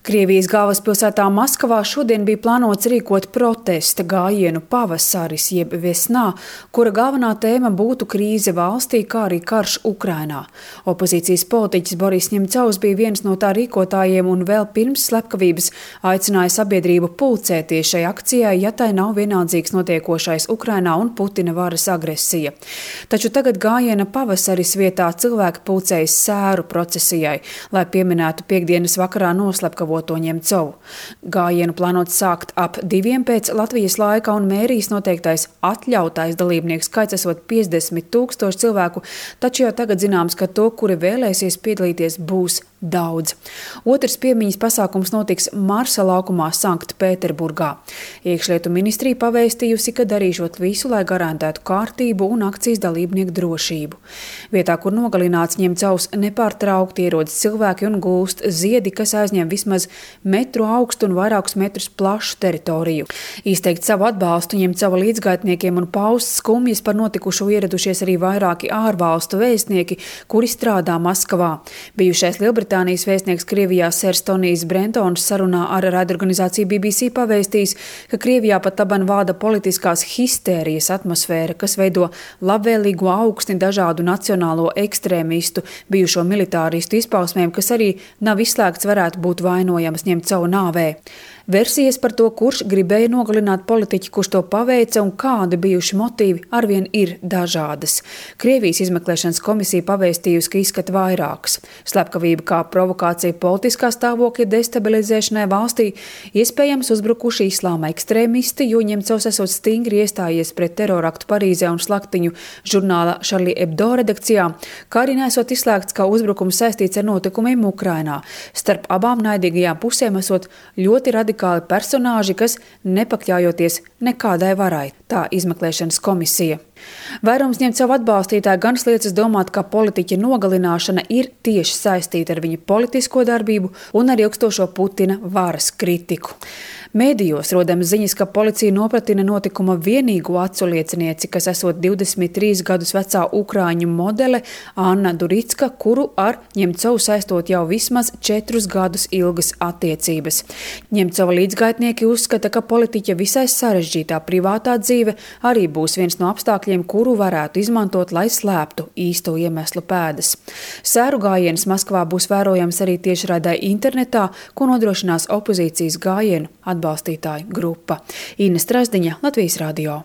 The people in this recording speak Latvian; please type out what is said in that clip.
Krievijas galvaspilsētā Maskavā šodien bija plānots rīkot protesta gājienu pavasaris jeb vesnā, kura galvenā tēma būtu krīze valstī, kā arī karš Ukrainā. Opozīcijas politiķis Boris Ņemcovs bija viens no tā rīkotājiem un vēl pirms slepkavības aicināja sabiedrību pulcēties šai akcijai, ja tai nav vienaldzīgs notiekošais Ukrainā un Putina varas agresija. Taču tagad gājiena pavasaris vietā cilvēki pulcējas sēru procesijai, lai pieminētu piektdienas vakarā noslepkavu Ņemcovu. Gājienu plānots sākt ap 2 pēc Latvijas laika un mērijas noteiktais atļautais dalībnieku skaits esot 50 000 cilvēku, taču jau tagad zināms, ka to, kuri vēlēsies piedalīties, būs daudz. Otrs piemiņas pasākums notiks Marsa laukumā Sanktpēterburgā. Iekšlietu ministrija pavēstījusi, ka darīšot visu, lai garantētu kārtību un akcijas dalībnieku drošību. Vietā, kur nogalināts Ņemcovs, nepārtraukti ierodas cilvēki un gulst ziedi, kas aizņem vismaz metru augstu un vairākus metrus plašu teritoriju. Izteikt savu atbalstu Ņemcova līdzgaitniekiem un paust skumjas par notikušo ieradušies arī vairāki ārvalstu vēstnieki, kuri strādā Maskavā. Bijušais Lielbritānijas vēstnieks Krievijā Sers Tonijs Brentons sarunā ar raidorganizāciju BBC pavēstījis, ka Krievijā pat laban vāda politiskās histērijas atmosfēra, kas veido labvēlīgu augstni dažādu nacionālo ekstrēmistu, bijušo militāristu izpausmēm, kas arī nav izslēgts varētu būt vainojams Ņemcova nāvē. Versijas par to, kurš gribēja nogalināt politiķi, kurš to paveica un kādi bijuši motīvi, arvien ir dažādas. Krievijas izmeklēšanas komisija pavēstījusi, ka izskata vairākas. Slepkavība kā provokācija politiskā stāvokļa destabilizēšanai valstī, iespējams uzbrukuši islāma ekstrēmisti, jo Ņemcovs esot stingri iestājies pret teroraktu Parīzē un slaktiņu žurnāla Charlie Hebdo redakcijā, kā arī nesot izslēgts, ka uzbrukums saistīts ar notikumiem Ukrainā. Starp abām naidīgajām pusēm esot ļoti radikāli personāži, kas nepakļaujoties nekādai varai, tā izmeklēšanas komisija. Vairums Ņemcova atbalstītāji gan liecas domāt, ka politiķa nogalināšana ir tieši saistīta ar viņa politisko darbību un ar ilgstošo Putina varas kritiku. Mēdījos rodams ziņas, ka policija nopratina notikuma vienīgo aculiecinieci, kas esot 23 gadus vecā ukrāņu modele Anna Duricka, kuru ar Ņemcovu saistot jau vismaz 4 gadus ilgas attiecības. Ņemcova līdzgaitnieki uzskata, ka politiķa visai sarežģītā privātā dzīve arī būs viens no apstākļiem, kuru varētu izmantot, lai slēptu īsto iemeslu pēdas. Sēru gājiens Maskavā būs vērojams arī tiešraidē internetā, ko nodrošinās opozīcijas gājienu atbalstītāju grupa. Inna Strazdiņa, Latvijas radio.